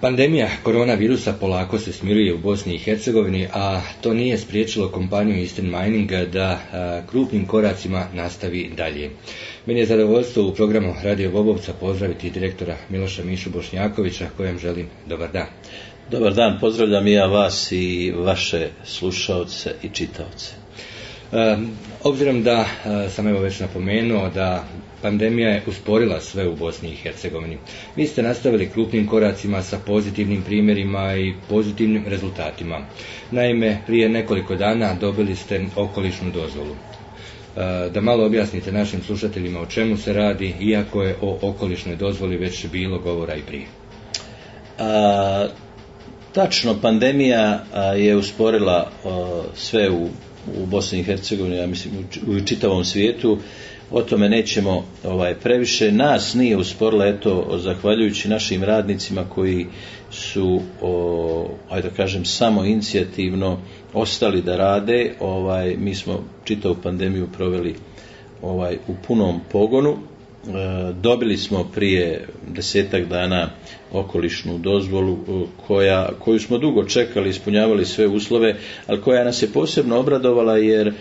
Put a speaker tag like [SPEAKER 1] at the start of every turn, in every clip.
[SPEAKER 1] Pandemija koronavirusa polako se smiruje u Bosni i Hercegovini, a to nije spriječilo kompaniju Eastern Mining da krupnim koracima nastavi dalje. Meni je zadovoljstvo u programu Radio Bobovca pozdraviti direktora Miloša Mišu Bošnjakovića, kojem želim dobar dan.
[SPEAKER 2] Dobar dan, pozdravljam i ja vas i vaše slušaoce i čitaoce.
[SPEAKER 1] Obzirom da sam evo već napomenuo da pandemija je usporila sve u Bosni i Hercegovini, vi ste nastavili krupnim koracima sa pozitivnim primjerima i pozitivnim rezultatima. Naime, prije nekoliko dana dobili ste okolišnu dozvolu. Da malo objasnite našim slušateljima o čemu se radi, iako je o okolišnoj dozvoli već bilo govora i prije.
[SPEAKER 2] Tačno, pandemija je usporila sve u Bosni i Hercegovini, ja mislim u čitavom svijetu. O tome nećemo previše. Nas nije usporila, eto, zahvaljujući našim radnicima koji su, ajde da kažem, samo inicijativno ostali da rade. Mi smo čitavu pandemiju proveli u punom pogonu. Dobili smo prije 10-tak dana okolišnu dozvolu koju smo dugo čekali, ispunjavali sve uslove, ali koja nas je posebno obradovala jer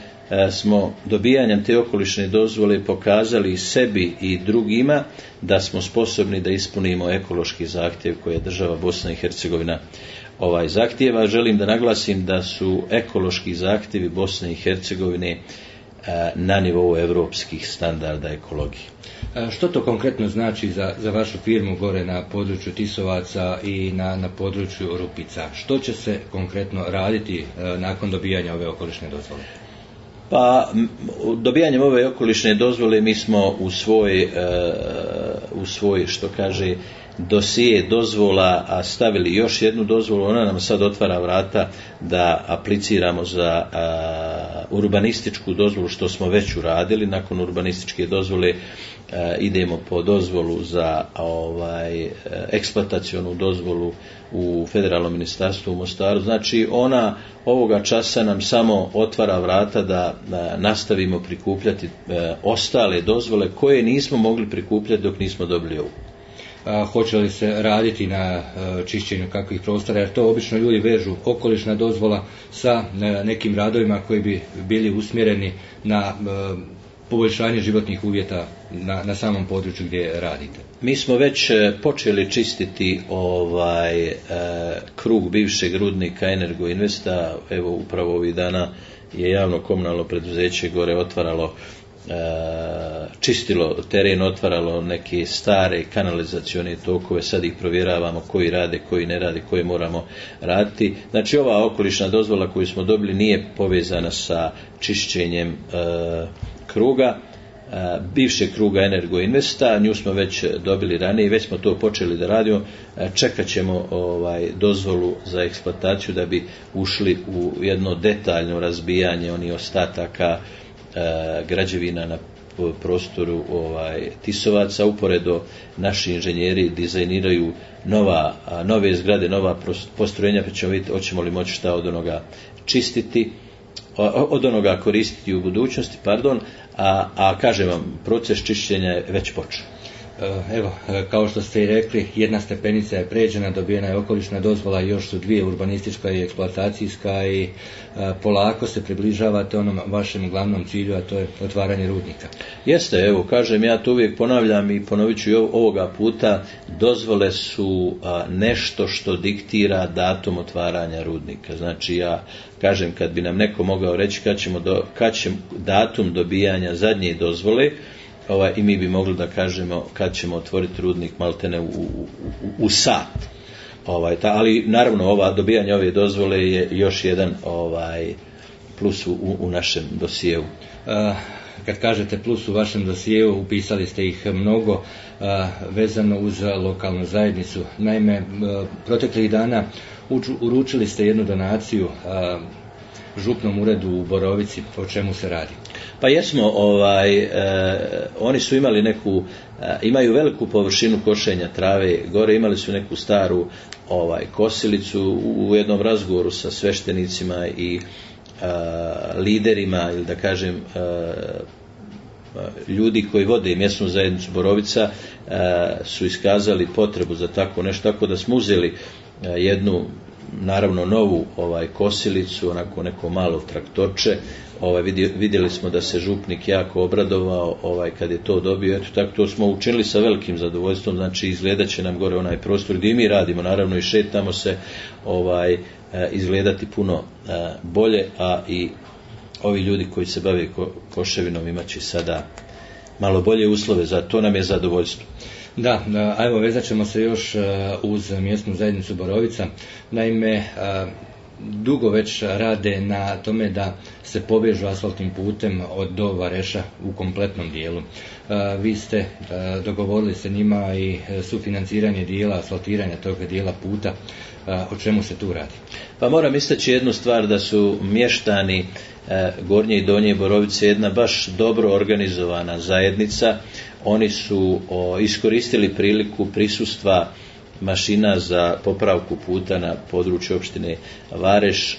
[SPEAKER 2] smo dobijanjem te okolišne dozvole pokazali sebi i drugima da smo sposobni da ispunimo ekološki zahtjev koje država Bosna i Hercegovina zahtjeva. Želim da naglasim da su ekološki zahtjevi Bosne i Hercegovine na nivou europskih standarda ekologije.
[SPEAKER 1] Što to konkretno znači za vašu firmu gore na području Tisovaca i na području Rupica? Što će se konkretno raditi nakon dobijanja ove okolišne dozvole?
[SPEAKER 2] Pa, dobijanjem ove okolišne dozvole mi smo u svoj što kaže dosije dozvola stavili još jednu dozvolu. Ona nam sad otvara vrata da apliciramo za urbanističku dozvolu, što smo već uradili. Nakon urbanističke dozvole idemo po dozvolu za eksploatacionu dozvolu u Federalnom ministarstvu u Mostaru. Znači ona ovoga časa nam samo otvara vrata da nastavimo prikupljati ostale dozvole koje nismo mogli prikupljati dok nismo dobili ovu.
[SPEAKER 1] Hoće li se raditi na čišćenju kakvih prostora, jer to obično ljudi vežu okolišna dozvola sa nekim radovima koji bi bili usmjereni na poboljšanje životnih uvjeta na samom području gdje radite.
[SPEAKER 2] Mi smo već počeli čistiti krug bivšeg rudnika Energo Investa. Evo upravo ovih dana je javno komunalno preduzeće gore otvaralo, čistilo teren, otvaralo neke stare kanalizacione tokove, sad ih provjeravamo koji rade, koji ne rade, koje moramo raditi. Znači ova okolišna dozvola koju smo dobili nije povezana sa čišćenjem kruga, bivšeg kruga Energo Investa, nju smo već dobili ranije i već smo to počeli da radimo. Čekat ćemo dozvolu za eksploataciju da bi ušli u jedno detaljno razbijanje onih ostataka građevina na prostoru Tisovaca. Uporedo naši inženjeri dizajniraju nove zgrade, nova postrojenja, pa ćemo vidjeti hoćemo li moći šta od onoga čistiti, od onoga koristiti u budućnosti, a kažem vam, proces čišćenja je već počeo.
[SPEAKER 1] Evo, kao što ste i rekli, jedna stepenica je pređena, dobijena je okolišna dozvola, još su dvije, urbanistička i eksploatacijska, i polako se približavate onom vašem glavnom cilju, a to je otvaranje rudnika.
[SPEAKER 2] Jeste, evo, kažem, ja to uvijek ponavljam i ponovit ću i ovoga puta, dozvole su nešto što diktira datum otvaranja rudnika. Znači, ja kažem, kad bi nam neko mogao reći kad će datum dobijanja zadnje dozvole, i mi bi mogli da kažemo kad ćemo otvoriti rudnik maltene u sat. Ali naravno dobijanje ove dozvole je još jedan plus u našem dosjeu.
[SPEAKER 1] Kad kažete plus u vašem dosjeu, upisali ste ih mnogo vezano uz lokalnu zajednicu. Naime, proteklih dana uručili ste jednu donaciju župnom uredu u Borovici. O čemu se radi?
[SPEAKER 2] Pa jesmo, oni su imali imaju veliku površinu košenja trave gore, imali su neku staru kosilicu. U jednom razgovoru sa sveštenicima i liderima, ili da kažem ljudi koji vode mjesnu zajednicu Borovica su iskazali potrebu za tako nešto, tako da smo uzeli jednu naravno novu kosilicu, onako neko malo traktorče. Vidjeli smo da se župnik jako obradovao kad je to dobio, eto tako to smo učinili sa velikim zadovoljstvom, znači izgledat će nam gore onaj prostor gdje mi radimo, naravno i šetamo se, izgledati puno bolje, a i ovi ljudi koji se bave koševinom imat će sada malo bolje uslove, za to nam je zadovoljstvo.
[SPEAKER 1] Da, a evo vezat ćemo se još uz mjesnu zajednicu Borovica. Naime, dugo već rade na tome da se povežu asfaltnim putem do Vareša u kompletnom dijelu. Vi ste dogovorili se njima i sufinanciranje dijela, asfaltiranja tog dijela puta. O čemu se tu radi?
[SPEAKER 2] Pa moram istaći jednu stvar, da su mještani Gornje i Donje Borovice jedna baš dobro organizovana zajednica. Oni su iskoristili priliku prisustva mašina za popravku puta na području opštine Vareš,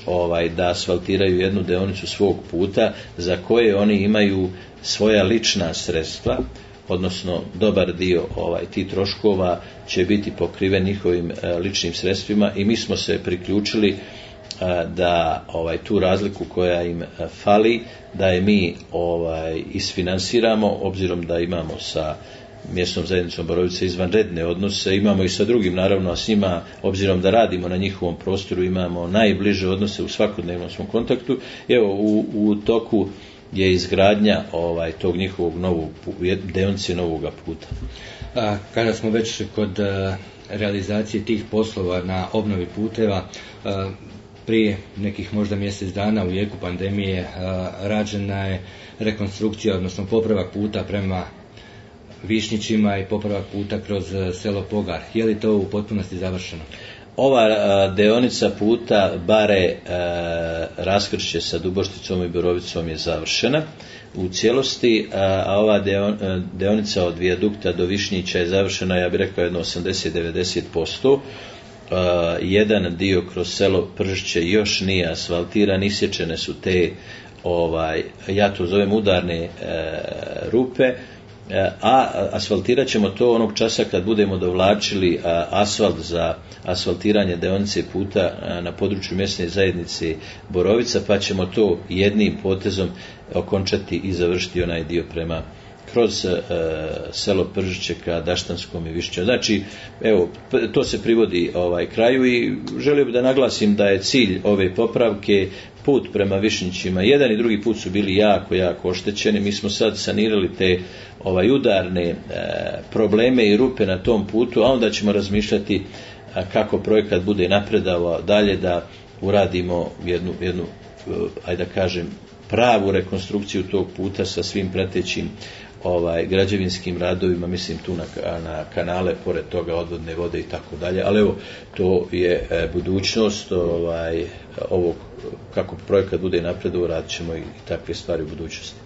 [SPEAKER 2] da asfaltiraju jednu deonicu svog puta za koje oni imaju svoja lična sredstva, odnosno dobar dio tih troškova će biti pokriven njihovim ličnim sredstvima, i mi smo se priključili da tu razliku koja im fali, da je mi isfinansiramo, obzirom da imamo sa mjesnom zajednicom Borovice izvanredne odnose, imamo i sa drugim, naravno, a s njima, obzirom da radimo na njihovom prostoru, imamo najbliže odnose, u svakodnevnom smo kontaktu. Evo, u toku je izgradnja tog njihovog novog deonice novoga puta.
[SPEAKER 1] Kada smo već kod realizacije tih poslova na obnovi puteva, prije nekih možda mjesec dana u jeku pandemije rađena je rekonstrukcija, odnosno popravak puta prema Višnjićima i popravak puta kroz selo Pogar. Je li to u potpunosti završeno?
[SPEAKER 2] Ova deonica puta Bare raskršće sa Dubošticom i Borovicom je završena u cijelosti, a ova deonica od vijadukta do Višnjića je završena, ja bih rekao, jedno 80-90%. Jedan dio kroz selo Pržišće još nije asfaltiran, isječene su te, ja to zovem udarne rupe, a asfaltirat ćemo to onog časa kad budemo dovlačili asfalt za asfaltiranje deonice puta na području mjesne zajednice Borovica, pa ćemo to jednim potezom okončati i završiti onaj dio prema kroz selo Pržiće ka Daštanskom i Višnjiću. Znači, evo, to se privodi kraju, i želio bih da naglasim da je cilj ove popravke put prema Višnjićima. Jedan i drugi put su bili jako oštećeni. Mi smo sad sanirali te udarne probleme i rupe na tom putu, a onda ćemo razmišljati kako projekat bude napredavao dalje, da uradimo jednu ajde da kažem, pravu rekonstrukciju tog puta sa svim pratećim građevinskim radovima, mislim tu na kanale, pored toga odvodne vode i tako dalje, ali evo, to je budućnost ovog, kako projekat bude napredovao, radit ćemo i takve stvari u budućnosti.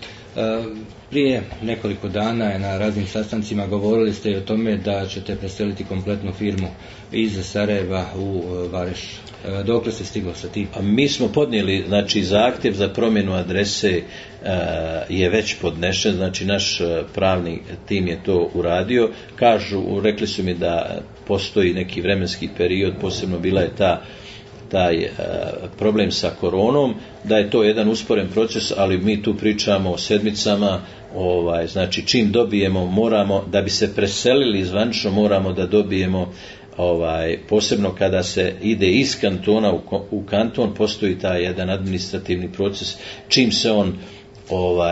[SPEAKER 1] Prije nekoliko dana je na raznim sastancima govorili ste i o tome da ćete preseliti kompletnu firmu iz Sarajeva u Vareš. Dokle se stiglo sa tim?
[SPEAKER 2] Mi smo podnijeli, znači, zahtjev za promjenu adrese je već podnešen, znači naš pravni tim je to uradio. Rekli su mi da postoji neki vremenski period, posebno bila je taj problem sa koronom, da je to jedan usporen proces, ali mi tu pričamo o sedmicama. Znači čim dobijemo, moramo, da bi se preselili zvanično, moramo da dobijemo, posebno kada se ide iz kantona u kanton, postoji taj jedan administrativni proces. Čim se on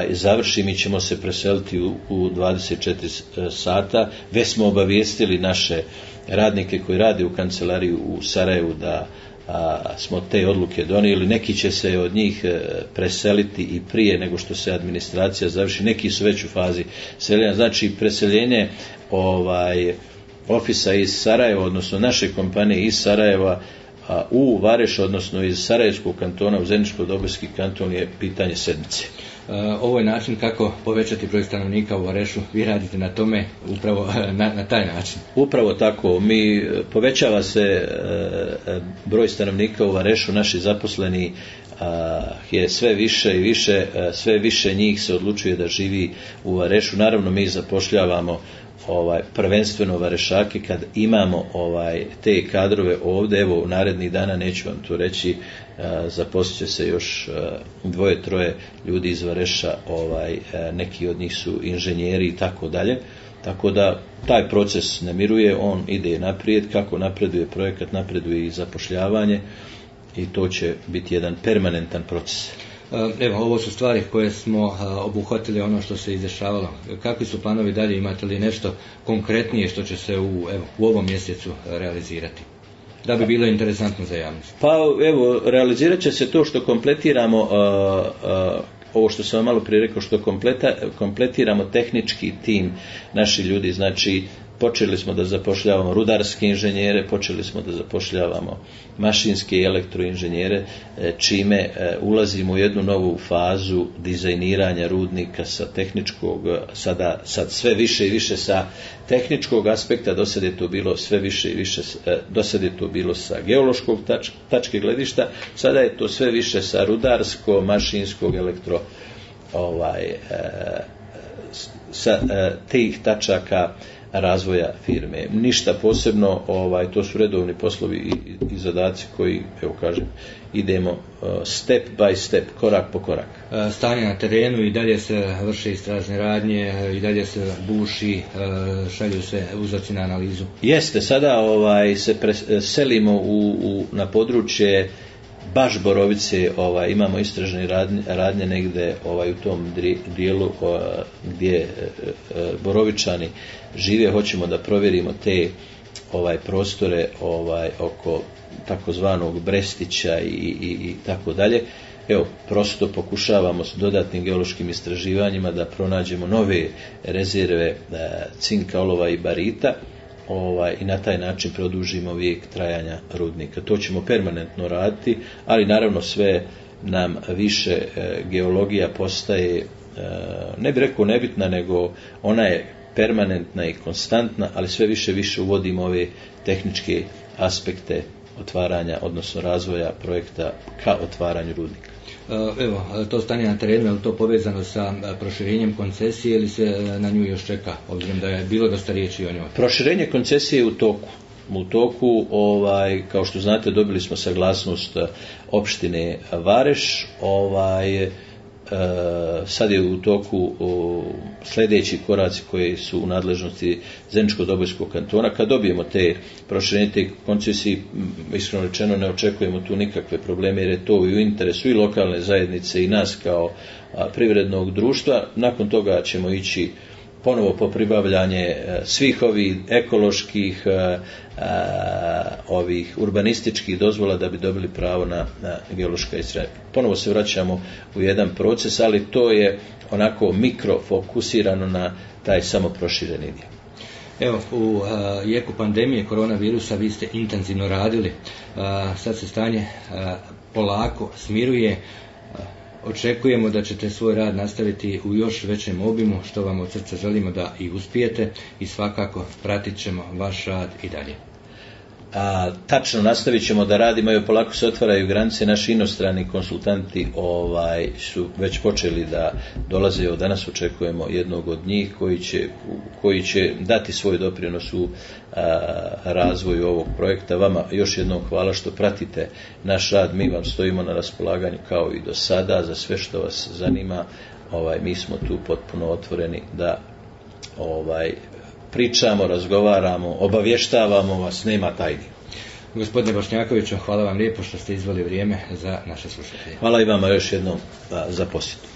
[SPEAKER 2] završi, mi ćemo se preseliti u 24 sata. Već smo obavijestili naše radnike koji rade u kancelariji u Sarajevu da smo te odluke donijeli. Neki će se od njih preseliti i prije nego što se administracija završi, neki su već u fazi seljenja. Znači preseljenje ofisa iz Sarajeva, odnosno naše kompanije iz Sarajeva u Vareš, odnosno iz Sarajevskog kantona u Zeničko-Dobojski kanton, je pitanje sedmice.
[SPEAKER 1] Ovo je način kako povećati broj stanovnika u Varešu. Vi radite na tome upravo na taj način.
[SPEAKER 2] Upravo tako. Povećava se broj stanovnika u Varešu. Naši zaposleni je sve više i više, sve više njih se odlučuje da živi u Varešu. Naravno mi zapošljavamo prvenstveno Varešake kad imamo te kadrove ovdje. Evo u narednih dana, neću vam to reći, zaposlit će se još 2-3 ljudi iz Vareša, neki od njih su inženjeri i tako dalje. Tako da taj proces ne miruje, on ide naprijed, kako napreduje projekat, napreduje i zapošljavanje i to će biti jedan permanentan proces.
[SPEAKER 1] Evo, ovo su stvari koje smo obuhvatili, ono što se izdešavalo. Kakvi su planovi dalje? Imate li nešto konkretnije što će se u ovom mjesecu realizirati, da bi bilo interesantno za javnost?
[SPEAKER 2] Pa evo, realizirat će se to što kompletiramo, ovo što sam vam malo prije rekao, što kompletiramo tehnički tim naši ljudi. Znači počeli smo da zapošljavamo rudarske inženjere, počeli smo da zapošljavamo mašinske i elektroinženjere, čime ulazimo u jednu novu fazu dizajniranja rudnika sa tehničkog, sad sve više i više sa tehničkog aspekta. Do sad je to bilo sve više i više, do sad je to bilo sa geološkog tačke gledišta, sada je to sve više sa rudarsko, mašinskog, sa tih tačaka razvoja firme. Ništa posebno, to su redovni poslovi i zadaci koji, evo kažem, idemo step by step, korak po korak.
[SPEAKER 1] Stanje na terenu, i dalje se vrše istražne radnje, i dalje se buši, šalju se uzorci na analizu.
[SPEAKER 2] Jeste, sada se selimo na područje baš Borovice, imamo istražne radnje negde u tom dijelu gdje Borovičani žive. Hoćemo da provjerimo te prostore oko takozvanog Brestića i tako dalje. Evo, prosto pokušavamo s dodatnim geološkim istraživanjima da pronađemo nove rezerve cinka, olova i barita, i na taj način produžimo vijek trajanja rudnika. To ćemo permanentno raditi, ali naravno sve nam više geologija postaje, ne bih rekao nebitna, nego ona je permanentna i konstantna, ali sve više uvodimo ove tehničke aspekte otvaranja, odnosno razvoja projekta ka otvaranju rudnika.
[SPEAKER 1] Evo, to stanje na terenu, je li to povezano sa proširenjem koncesije ili se na nju još čeka, obzirom da je bilo dosta riječi o njoj?
[SPEAKER 2] Proširenje koncesije je u toku. Kao što znate, dobili smo saglasnost opštine Vareš, sad je u toku sljedeći koraci koji su u nadležnosti Zeničko-Dobojskog kantona. Kad dobijemo te proširenje te koncesije, iskreno rečeno ne očekujemo tu nikakve probleme, jer je to u interesu i lokalne zajednice i nas kao privrednog društva. Nakon toga ćemo ići ponovo po pribavljanje svih ovih ekoloških, ovih urbanističkih dozvola da bi dobili pravo na geološka istraživanja. Ponovo se vraćamo u jedan proces, ali to je onako mikrofokusirano na taj samo prošireni dio.
[SPEAKER 1] Evo, u jeku pandemije koronavirusa vi ste intenzivno radili, sad se stanje polako smiruje. Očekujemo da ćete svoj rad nastaviti u još većem obimu, što vam od srca želimo da i uspijete, i svakako pratit ćemo vaš rad i dalje.
[SPEAKER 2] Tačno, nastavit ćemo da radimo, i polako se otvaraju granice. Naši inostrani konsultanti su već počeli da dolaze. Od danas očekujemo jednog od njih koji će dati svoj doprinos u razvoju ovog projekta. Vama još jednom hvala što pratite naš rad. Mi vam stojimo na raspolaganju kao i do sada za sve što vas zanima. Mi smo tu potpuno otvoreni da pričamo, razgovaramo, obavještavamo vas, nema tajni.
[SPEAKER 1] Gospodine Bošnjakoviću, hvala vam lijepo što ste izveli vrijeme za naše slušatelje.
[SPEAKER 2] Hvala i vama još jednom za posjetu.